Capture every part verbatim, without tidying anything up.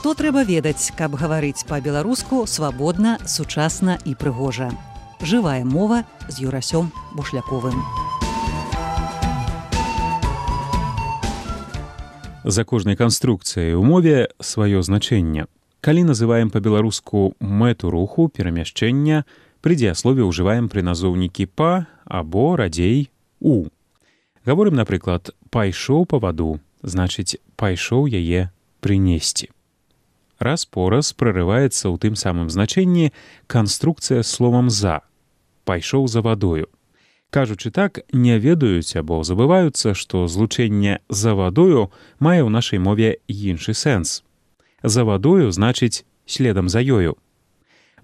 Што трэба ведаць, каб гаварыць па-беларуску свабодна, сучасна і прыгожа. Жывая мова з Юрасём Бушляковым. За кожнай канструкцыяй у мове сваё значэнне. Калі называем па-беларуску мэту руху, перамяшчэння, пры дзеяслове ўжываем прыназоўнікі па або, радзей, у. Гаворым, напрыклад, пайшоў па ваду, значыць, пайшоў яе прынесці. Раз-пораз прарываецца ў тым самым значэнні канструкцыя з словам «за». Пайшоў за вадою. Кажучы так, не ведаюць або забываюцца, што злучэнне «за вадою» мае ў нашай мове іншы сэнс. За вадою значыць следам за ёю.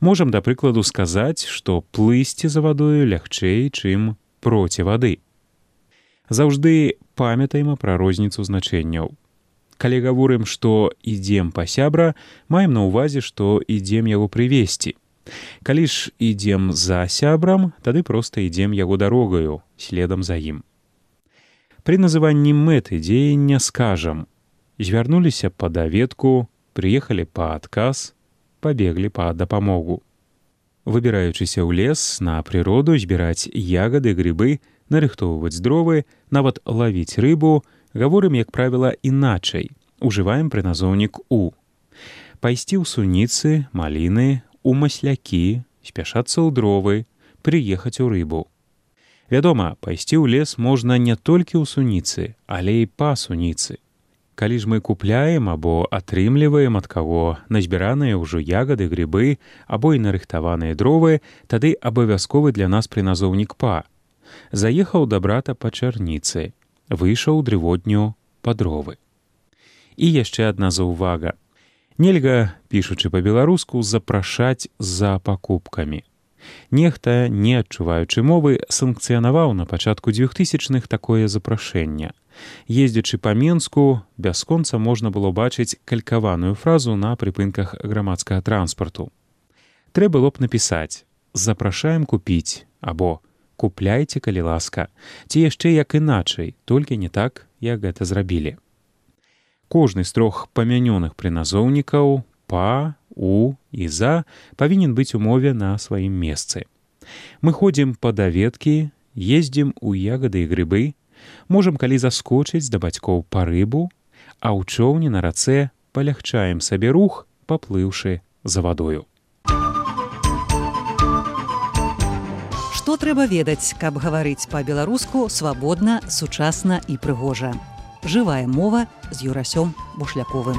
Можам, да прыкладу, сказаць, што плысці за вадою лягчэй, чым проці вады. Заўжды памятаем пра розніцу значэнняў. Калі гаворым, што ідзем па сябра, маем на ўвазе, што ідзем яго прывесці. Калі ж ідзем за сябрам, тады проста ідзем яго дарогаю, следам за ім. Пры называнні мэты дзеяння скажам: звярнуліся па даведку, прыехалі па адказ, пабеглі па дапамогу. Выбіраючыся ў лес, на прыроду, збіраць ягады, грыбы, нарыхтоўваць дровы, нават лавіць рыбу, гаворым, як правіла, іначай. Ужываем прыназоўнік «у». Пайсці ў суніцы, маліны, у маслякі, спяшацца ў дровы, прыехаць у рыбу. Вядома, пайсці ў лес можна не толькі ў суніцы, але і па суніцы. Калі ж мы купляем або атрымліваем ад каго назбіраныя ўжо ягады, грыбы або і нарыхтаваныя дровы, тады абавязковы для нас прыназоўнік «па». Заехаў да брата па чарніцы, выйшаў у дрывотню па дровы. І яшчэ адна заўвага. Нельга, пішучы па-беларуску, запрашаць за пакупкамі. Нехта, не адчуваючы мовы, санкцыянаваў на пачатку дзвюхтысячных такое запрашэнне. Ездзячы па Менску, бясконца можна было бачыць калькаваную фразу на прыпынках грамадскага транспарту. Трэ было б напісаць «запрашаем купіць» або «купляйце, калі ласка», ці яшчэ як іначай, толькі не так, як гэта зрабілі. Кожны з трох памянёных прыназоўнікаў «па», «у» і «за» павінен быць у мове на сваім месцы. Мы ходзім па даведкі, ездзім у ягады і грыбы, можам калі заскочыць да бацькоў па рыбу, а ў чоўне на рацэ палягчаем сабе рух, паплыўшы за вадою. Што трэба ведаць, каб гаварыць па-беларуску свабодна, сучасна і прыгожа. Жывая мова з Юрасём Бушляковым.